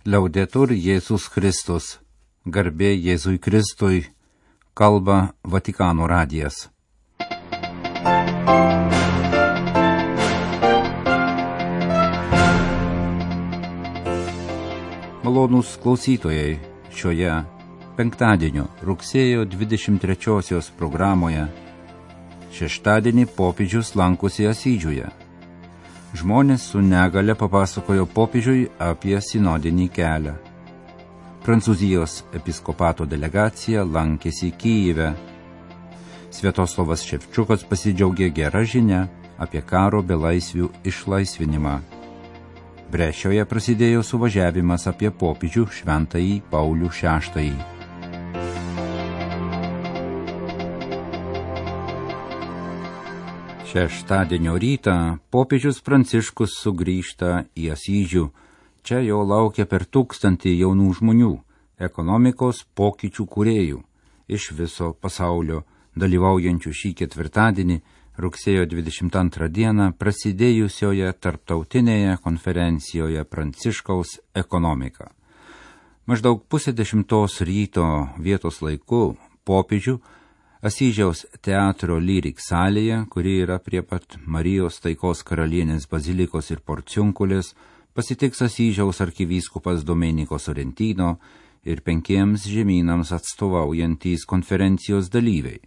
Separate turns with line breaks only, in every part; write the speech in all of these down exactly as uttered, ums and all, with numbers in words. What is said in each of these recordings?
Liaudetur Jėzus Kristus, garbė Jėzui Kristui, kalba Vatikano radijas. Malonūs klausytojai, šioje penktadienio rugsėjo dvidešimt trečiosios programoje šeštadienį popiežius lankosi Asyžiuje. Žmonės su negale papasakojo popiežiui apie sinodinį kelią. Prancūzijos episkopato delegacija lankėsi Kyjive. Sviatoslavas Ševčiukas pasidžiaugė gerą žinią apie karo belaisvių išlaisvinimą. Brešioje prasidėjo suvažiavimas apie popiežių šventąjį Paulių šeštąjį. Šeštadienio rytą popiežius Pranciškus sugrįžta į Asyžių. Čia jo laukia per tūkstantį jaunų žmonių, ekonomikos pokyčių kūrėjų iš viso pasaulio, dalyvaujančių šį ketvirtadienį, rugsėjo dvidešimt antrą dieną prasidėjusioje tarptautinėje konferencijoje Pranciškaus ekonomika. Maždaug pusė dešimtos ryto vietos laiku popiežių Asyžiaus teatro Lyrik salėje, kuri yra prie pat Marijos Taikos karalienės bazilikos ir Porciunkulės, pasitiks Asyžiaus arkivyskupas Domenico Sorrentino ir penkiems žemynams atstovaujantys konferencijos dalyviai.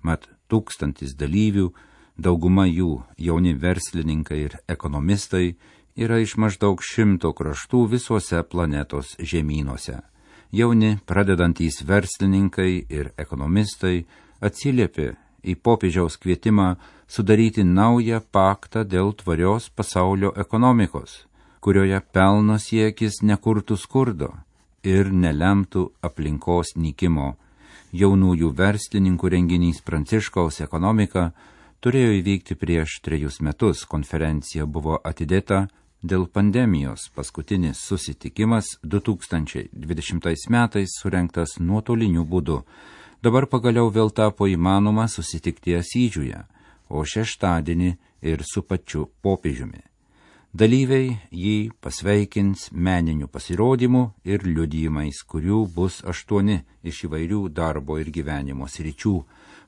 Mat tūkstantis dalyvių, dauguma jų jauni verslininkai ir ekonomistai, yra iš maždaug šimto kraštų visuose planetos žemynuose. Jauni pradedantys verslininkai ir ekonomistai atsiliepė į popiežiaus kvietimą sudaryti naują paktą dėl tvarios pasaulio ekonomikos, kurioje pelno siekis nekurtų skurdo ir nelemtų aplinkos nykimo. Jaunųjų verslininkų renginys Pranciškaus ekonomika turėjo įvykti prieš trejus metus. Konferencija buvo atidėta dėl pandemijos. Paskutinis susitikimas du tūkstančiai dvidešimtais metais surengtas nuotoliniu būdu. Dabar pagaliau vėl tapo įmanoma susitikti Asyžiuje, o šeštadienį ir su pačiu popiežiumi. Dalyviai jį pasveikins meniniu pasirodymu ir liudijimais, kurių bus aštuoni iš įvairių darbo ir gyvenimo sričių.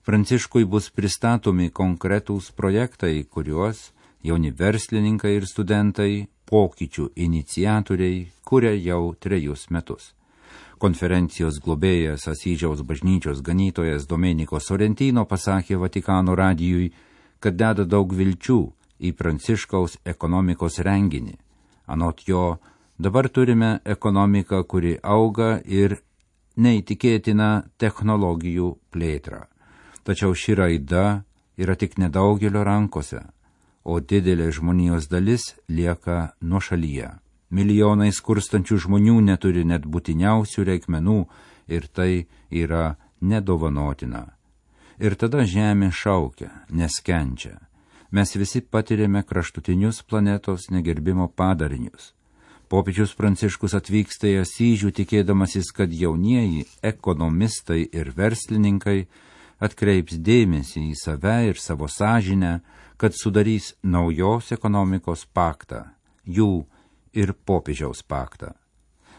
Pranciškui bus pristatomi konkretūs projektai, kuriuos jauni verslininkai ir studentai, pokyčių iniciatoriai, kuria jau trejus metus. Konferencijos globėjas Asyžiaus bažnyčios ganytojas Domenico Sorrentino pasakė Vatikano radijui, kad deda daug vilčių į Pranciškaus ekonomikos renginį. Anot jo, dabar turime ekonomiką, kuri auga ir neįtikėtina technologijų plėtra. Tačiau ši raida yra tik nedaugelio rankose, o didelė žmonijos dalis lieka nuošalyje. Milijonai skurstančių žmonių neturi net būtiniausių reikmenų ir tai yra nedovanotina. Ir tada žemė šaukia, nes kenčia. Mes visi patiriame kraštutinius planetos negerbimo padarinius. Popiežius Pranciškus atvyksta į Asyžių tikėdamasis, kad jaunieji ekonomistai ir verslininkai atkreips dėmesį į save ir savo sąžinę, kad sudarys naujos ekonomikos paktą, jų ir popiežiaus paktą.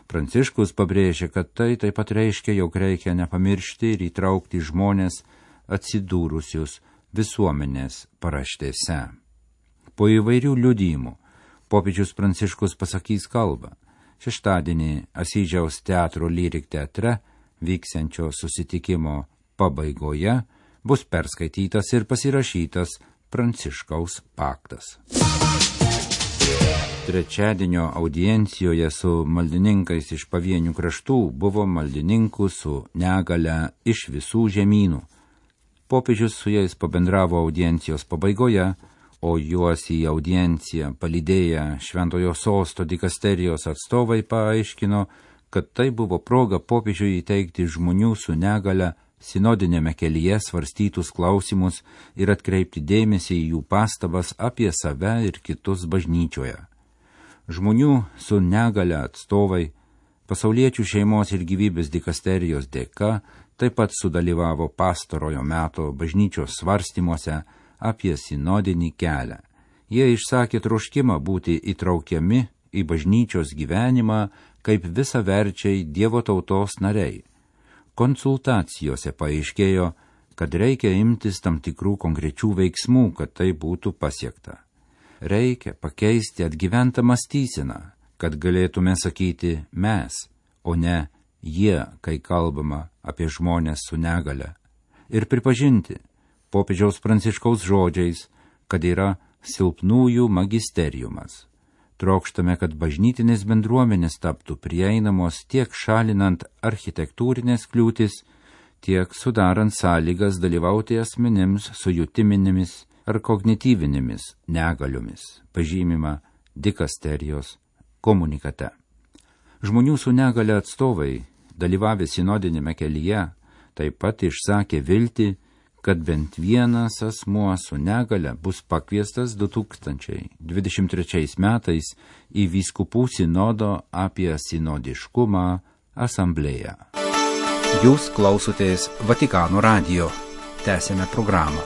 Pranciškus pabrėžė, kad tai taip pat reiškia, jog reikia nepamiršti ir įtraukti žmonės atsidūrusius visuomenės paraštėse. Po įvairių liudijimų popiežius Pranciškus pasakys kalbą. Šeštadienį Asyžiaus teatro Lyrik teatre vyksiančio susitikimo pabaigoje bus perskaitytas ir pasirašytas Pranciškaus paktas. Trečiadienio audiencijoje su maldininkais iš pavienių kraštų buvo maldininkų su negale iš visų žemynų. Popiežius su jais pabendravo audiencijos pabaigoje, o juos į audienciją palydėję Šventojo sosto dikasterijos atstovai paaiškino, kad tai buvo proga popiežiui įteikti žmonių su negale sinodinėme kelyje svarstytus klausimus ir atkreipti dėmesį į jų pastabas apie save ir kitus bažnyčioje. Žmonių su negale atstovai pasauliečių šeimos ir gyvybės dikasterijos dėka taip pat sudalyvavo pastarojo meto bažnyčios svarstymuose apie sinodinį kelią. Jie išsakė troškimą būti įtraukiami į bažnyčios gyvenimą kaip visaverčiai Dievo tautos nariai. Konsultacijose paaiškėjo, kad reikia imtis tam tikrų konkrečių veiksmų, kad tai būtų pasiekta. Reikia pakeisti atgyventą mąstyseną, kad galėtume sakyti mes, o ne jie, kai kalbama apie žmonės su negale. Ir pripažinti popiežiaus Pranciškaus žodžiais, kad yra silpnųjų magisteriumas. Trokštame, kad bažnytinės bendruomenės taptų prieinamos tiek šalinant architektūrinės kliūtis, tiek sudarant sąlygas dalyvauti asmenims su jutiminėmis ar kognityvinėmis negaliomis, pažymima dikasterijos komunikate. Žmonių su negale atstovai, dalyvavę sinodinėme kelyje, taip pat išsakė viltį, kad bent vienas asmuo su negale bus pakviestas du tūkstančiai dvidešimt trečiais metais į vyskupų sinodo apie sinodiškumą asamblėją. Jūs klausotės Vatikano radijo. Tęsėme programą.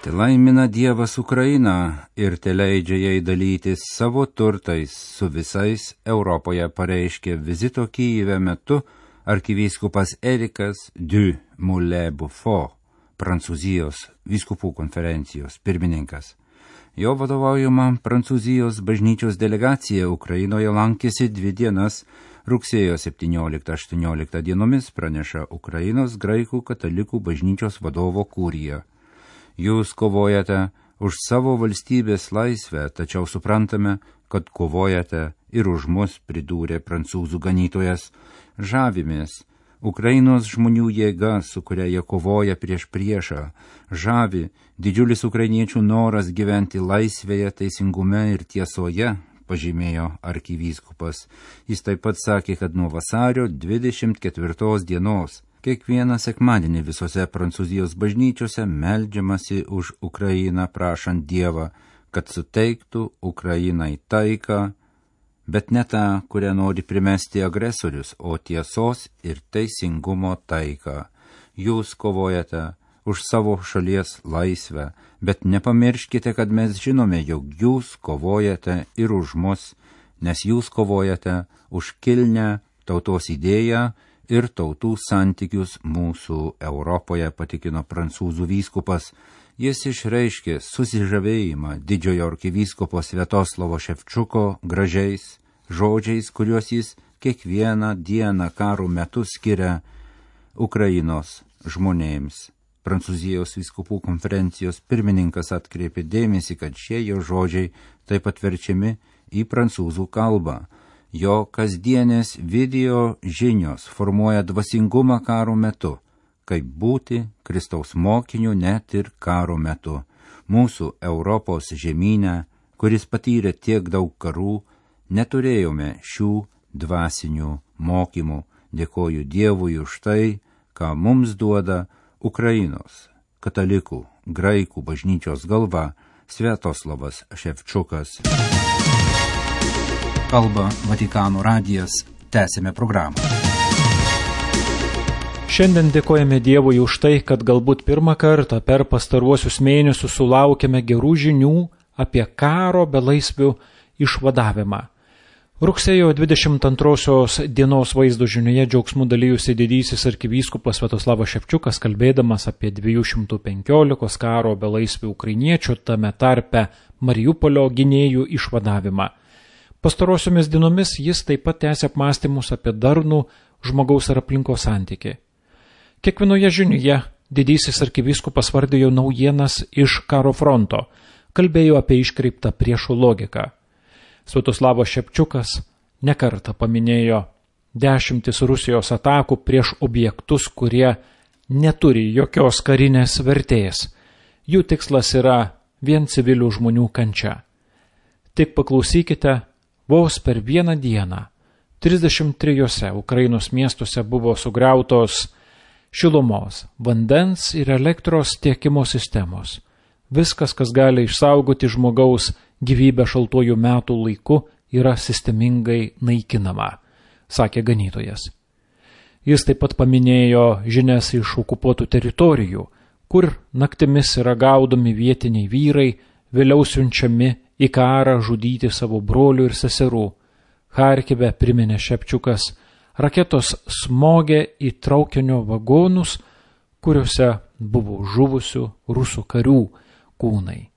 Te laimina Dievas Ukrainą ir te leidžia jai dalytis savo turtais su visais Europoje, pareiškė vizito Kyjive metu arkivyskupas Erikas du Moulin-Beaufort, Prancūzijos vyskupų konferencijos pirmininkas. Jo vadovaujama Prancūzijos bažnyčios delegacija Ukrainoje lankėsi dvi dienas, rugsėjo septynioliktą aštuonioliktą dienomis, praneša Ukrainos graikų katalikų bažnyčios vadovo kurija. Jūs kovojate už savo valstybės laisvę, tačiau suprantame, kad kovojate ir už mus, pridūrė prancūzų ganytojas. Žavimės Ukrainos žmonių jėga, su kuria jie kovoja prieš priešą. Žavi didžiulis ukrainiečių noras gyventi laisvėje, teisingume ir tiesoje, pažymėjo arkivyskupas. Jis taip pat sakė, kad nuo vasario dvidešimt ketvirtos dienos kiekvieną sekmadienį visose Prancūzijos bažnyčiose meldžiamasi už Ukrainą, prašant Dievą, kad suteiktų Ukrainai taiką, bet ne tą, kurią nori primesti agresorius, o tiesos ir teisingumo taiką. Jūs kovojate už savo šalies laisvę, bet nepamirškite, kad mes žinome, jog jūs kovojate ir už mus, nes jūs kovojate už kilnią tautos idėją ir tautų santykius mūsų Europoje, patikino prancūzų vyskupas. Jis išreiškė susižavėjimą didžiojo arkivyskupo Sviatoslavo Ševčiuko gražiais žodžiais, kuriuos jis kiekvieną dieną karo metu skiria Ukrainos žmonėms. Prancūzijos vyskupų konferencijos pirmininkas atkreipė dėmesį, kad šie jo žodžiai taip pat verčiami į prancūzų kalbą. Jo kasdienės video žinios formuoja dvasingumą karo metu, kaip būti Kristaus mokiniu net ir karo metu. Mūsų Europos žemyne, kuris patyrė tiek daug karų, neturėjome šių dvasinių mokymų. Dėkoju Dievui už tai, ką mums duoda Ukrainos katalikų graikų bažnyčios galva Sviatoslavas Ševčiukas. Kalba Vatikano radijas. Tęsime programą.
Šiandien dėkojame Dievui už tai, kad galbūt pirmą kartą per pastaruosius mėnesius sulaukėme gerų žinių apie karo belaisvių išvadavimą. Rugsėjo dvidešimt antrosios dienos vaizdo žinioje džiaugsmu dalyjusi didysis arkivyskupas Sviatoslavas Ševčiukas, kalbėdamas apie dviejų šimtų penkiolikos karo belaisvių ukrainiečių, tame tarpe Mariupolio gynėjų išvadavimą. Pastarosiomis dienomis jis taip pat tęsė apmąstymus apie darnų žmogaus ir aplinkos santykį. Kiekvienoje žinioje didysis arkivyskupas vardijo naujienas iš karo fronto, kalbėjo apie iškreiptą priešų logiką. Sviatoslavas Ševčiukas nekartą paminėjo dešimtis Rusijos atakų prieš objektus, kurie neturi jokios karinės vertės. Jų tikslas yra vien civilių žmonių kančia. Tik paklausykite, vos per vieną dieną trisdešimt trijose Ukrainos miestuose buvo sugriautos šilumos, vandens ir elektros tiekimo sistemos. Viskas, kas gali išsaugoti žmogaus gyvybę šaltuoju metų laiku, yra sistemingai naikinama, sakė ganytojas. Jis taip pat paminėjo žinias iš okupuotų teritorijų, kur naktimis yra gaudomi vietiniai vyrai, vėliau siunčiami į karą žudyti savo brolių ir seserų. Charkive, priminė Šepčiukas, raketos smogė į traukinio vagonus, kuriuose buvo žuvusių rusų karių kūnai.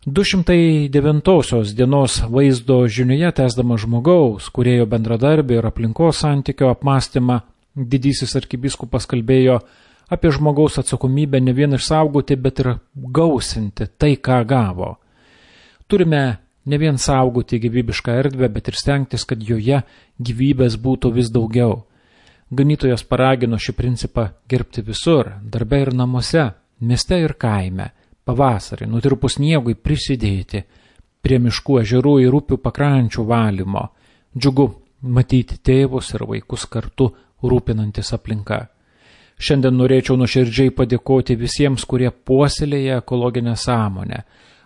du šimtai devintosios dienos vaizdo žinioje tęsdama žmogaus, kūrėjo bendradarbį ir aplinkos santykio apmąstymą, didysis arkivyskupas kalbėjo apie žmogaus atsakomybę ne vien išsaugoti, bet ir gausinti tai, ką gavo. Turime ne vien saugoti gyvybišką erdvę, bet ir stengtis, kad joje gyvybės būtų vis daugiau. Ganytojas paragino šį principą gerbti visur, darbe ir namuose, mieste ir kaime, pavasarį, nutirpus sniegui prisidėti prie miškų, ežerų ir upių pakrančių valymo. Džiugu matyti tėvus ir vaikus kartu rūpinantis aplinka. Šiandien norėčiau nuoširdžiai padėkoti visiems, kurie puoselėja ekologinę sąmonę,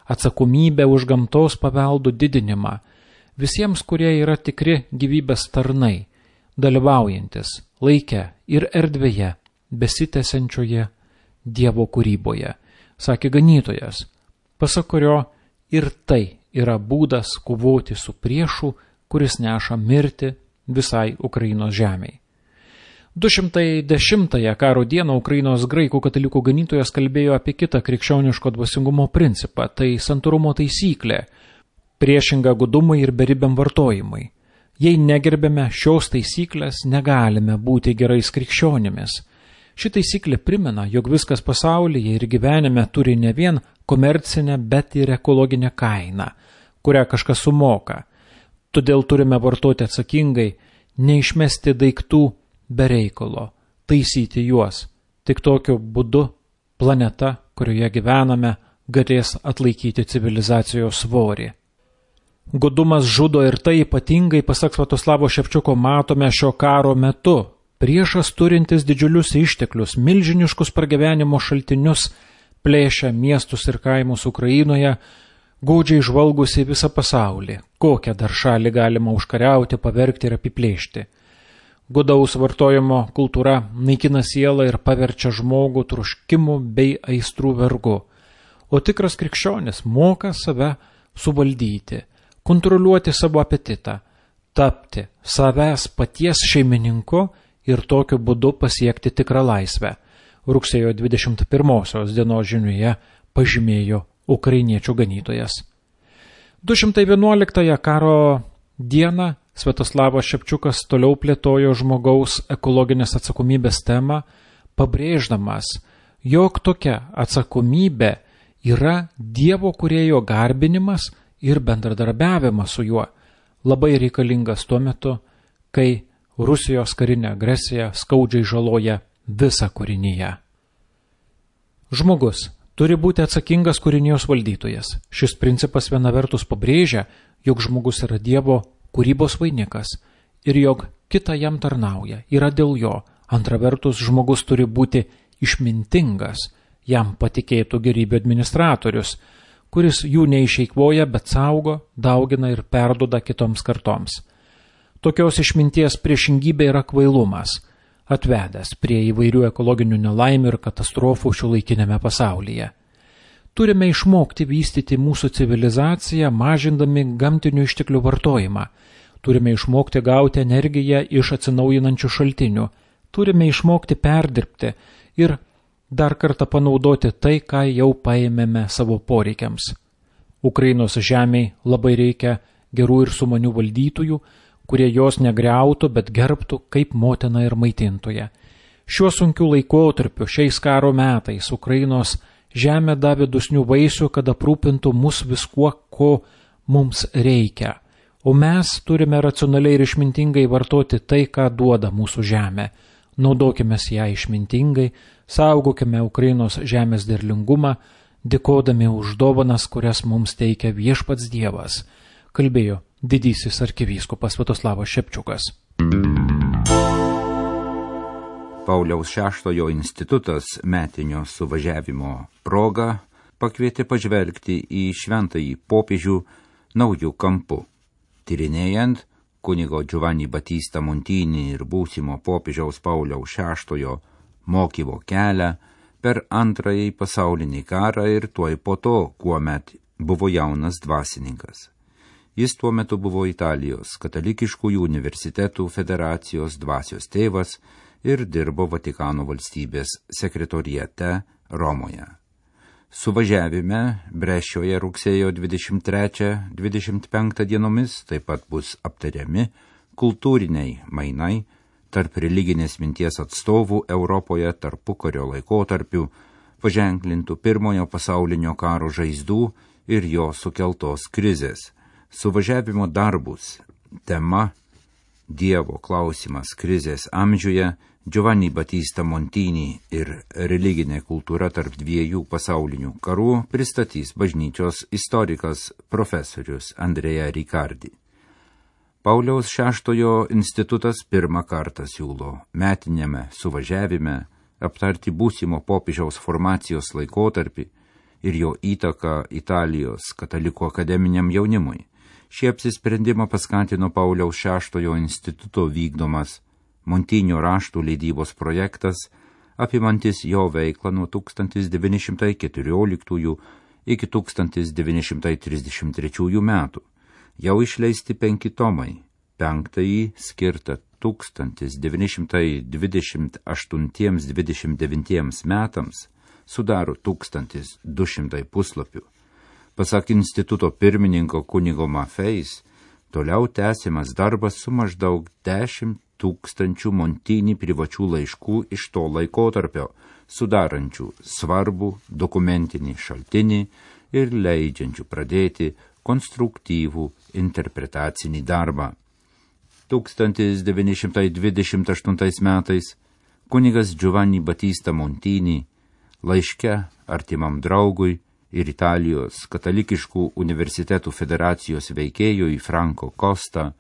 atsakomybę už gamtos paveldų didinimą, visiems, kurie yra tikri gyvybės tarnai, dalyvaujantis laike ir erdvėje besitęsiančioje Dievo kūryboje, sakė ganytojas, pasak kurio ir tai yra būdas kovoti su priešu, kuris neša mirtį visai Ukrainos žemei. du šimtai dešimtąją karo dieną Ukrainos graikų katalikų ganytojas kalbėjo apie kitą krikščioniško dvasingumo principą, tai santūrumo taisyklė, priešinga gudumui ir beribiam vartojimui. Jei negerbėme šios taisyklės, negalime būti gerais krikščionimis. Ši taisyklė primena, jog viskas pasaulyje ir gyvenime turi ne vien komercinę, bet ir ekologinę kainą, kurią kažkas sumoka. Todėl turime vartoti atsakingai, neišmesti daiktų be reikalo, taisyti juos. Tik tokiu būdu planeta, kurioje gyvename, galės atlaikyti civilizacijos svorį. Godumas žudo ir tai ypatingai, pasak Svatoslavo Šepčiuko, matome šio karo metu. Priešas turintis didžiulius išteklius, milžiniškus pragyvenimo šaltinius, plėšia miestus ir kaimus Ukrainoje, gaudžiai žvalgusi visą pasaulį. Kokią dar šalį galima užkariauti, pavergti ir apiplėšti. Godaus vartojimo kultūra naikina sielą ir paverčia žmogų troškimų bei aistrų vergu. O tikras krikščionis moka save suvaldyti, kontroliuoti savo apetitą, tapti savęs paties šeimininku ir tokiu būdu pasiekti tikrą laisvę. Rugsėjo dvidešimt pirmosios dienos žinioje pažymėjo ukrainiečių ganytojas. du šimtai vienuoliktąją karo dieną Sviatoslavas Šepčiukas toliau plėtojo žmogaus ekologinės atsakomybės temą, pabrėždamas, jog tokia atsakomybė yra Dievo kūrėjo garbinimas ir bendradarbiavimas su juo, labai reikalingas tuo metu, kai Rusijos karinė agresija skaudžiai žaloja visą kūrinyje. Žmogus turi būti atsakingas kūrinijos valdytojas. Šis principas viena vertus pabrėžia, jog žmogus yra Dievo kūrybos vainikas ir jog kita jam tarnauja, yra dėl jo. Antra vertus, žmogus turi būti išmintingas, jam patikėtų gerybių administratorius, kuris jų neišeikvoja, bet saugo, daugina ir perduoda kitoms kartoms. Tokios išminties priešingybė yra kvailumas, atvedęs prie įvairių ekologinių nelaimių ir katastrofų šiuolaikinėme pasaulyje. Turime išmokti vystyti mūsų civilizaciją, mažindami gamtinių išteklių vartojimą. Turime išmokti gauti energiją iš atsinaujinančių šaltinių. Turime išmokti perdirbti ir dar kartą panaudoti tai, ką jau paėmėme savo poreikiams. Ukrainos žemei labai reikia gerų ir sumanių valdytojų, kurie jos negriautų, bet gerbtų kaip motina ir maitintoja. Šiuo sunkiu laikotarpiu, šiais karo metais, Ukrainos žemė davė dosnių vaisių, kad aprūpintų mus viskuo, ko mums reikia. O mes turime racionaliai ir išmintingai vartoti tai, ką duoda mūsų žemė. Naudokime ją išmintingai, saugokime Ukrainos žemės derlingumą, dėkodami už dovanas, kurias mums teikia viešpats Dievas, kalbėjo didysis arkivyskupas Sviatoslavas Šepčiukas.
Pauliaus šeštojo institutas metinio suvažiavimo proga pakvietė pažvelgti į šventąjį popiežių naujų kampų, tyrinėjant kunigo Giovanni Battista Montini ir būsimo popiežiaus Pauliaus šeštojo mokymo kelią per antrąjį pasaulinį karą ir tuoj po to, kuomet buvo jaunas dvasininkas. Jis tuo metu buvo Italijos katalikiškųjų universitetų federacijos dvasios tėvas ir dirbo Vatikano valstybės sekretoriate Romoje. Suvažiavime Breščioje rugsėjo dvidešimt trečią dvidešimt penktą dienomis taip pat bus aptariami kultūriniai mainai tarp religinės minties atstovų Europoje tarpukario laikotarpiu, paženklintų pirmojo pasaulinio karo žaizdų ir jo sukeltos krizės. Suvažiavimo darbus tema Dievo klausimas krizės amžiuje, Giovanni Battista Montini ir religinė kultūra tarp dviejų pasaulinių karų pristatys bažnyčios istorikas profesorius Andrea Riccardi. Pauliaus šeštojo institutas pirmą kartą siūlo metiniame suvažiavime aptarti būsimo popiežiaus formacijos laikotarpį ir jo įtaką Italijos katalikų akademiniam jaunimui. Šį apsisprendimą paskatino Pauliaus šeštojo instituto vykdomas Montinio raštų leidybos projektas, apimantis jo veiklą nuo tūkstantis devyni šimtai keturioliktųjų iki tūkstantis devyni šimtai trisdešimt trečiųjų metų. Jau išleisti penki tomai, penktąjį skirtą tūkstantis devyni šimtai dvidešimt aštuntiems dvidešimt devintiems metams sudaro tūkstantis du šimtai puslapių. Pasak instituto pirmininko kunigo Mafeis, toliau tęsiamas darbas su maždaug dešimt tūkstančių Montini privačių laiškų iš to laikotarpio, sudarančių svarbų dokumentinį šaltinį ir leidžiančių pradėti konstruktyvų interpretacinį darbą. tūkstantis devyni šimtai dvidešimt aštuntais metais kunigas Giovanni Battista Montini laiške artimam draugui ir Italijos katalikiškų universitetų federacijos veikėjui Franco Costa,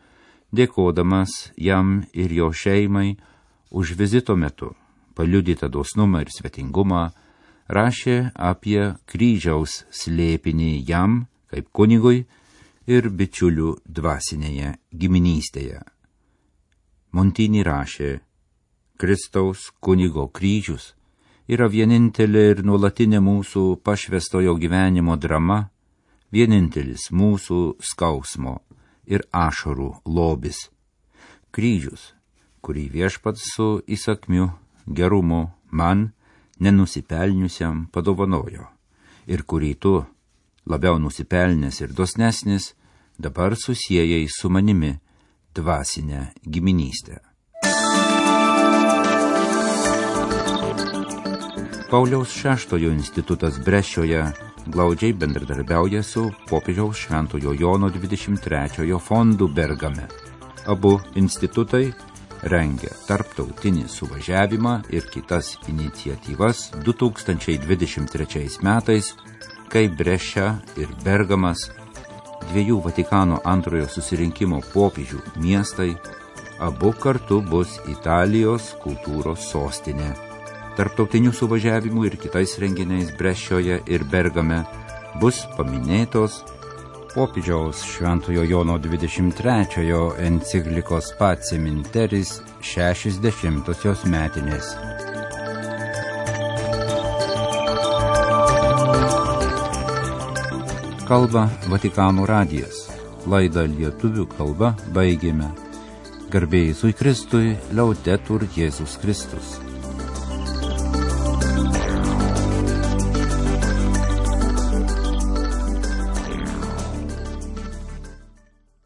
dėkodamas jam ir jo šeimai už vizito metu paliudytą dosnumą ir svetingumą, rašė apie kryžiaus slėpinį jam, kaip kunigui ir bičiulių dvasinėje giminystėje. Montini rašė, Kristaus kunigo kryžius yra vienintelė ir nuolatinė mūsų pašvestojo gyvenimo drama, vienintelis mūsų skausmo ir ašarų lobis. Kryžius, kurį viešpats su įsakmiu gerumu man, nenusipelniusiam, padovanojo, ir kurį tu, labiau nusipelnęs ir dosnesnis, dabar susiejai su manimi dvasinę giminystę. Pauliaus šeštojo institutas Breščioje glaudžiai bendradarbiauja su popiežiaus Šventojo Jono dvidešimt trečiojo fondu Bergame. Abu institutai rengia tarptautinį suvažiavimą ir kitas iniciatyvas du tūkstančiai dvidešimt trečiais metais, kai Breščia ir Bergamas, dviejų Vatikano antrojo susirinkimo popiežių miestai, abu kartu bus Italijos kultūros sostinė. Tarptautinių suvažiavimų ir kitais renginiais Breščioje ir Bergame bus paminėtos popiežiaus Šventojo Jono dvidešimt trečiojo enciklikos Pacem in Terris šešiasdešimtosios metinės. Kalba Vatikano radijas. Laidą lietuvių kalba baigėme. Garbė Jėzui Kristui, Laudetur Jėzus Kristus.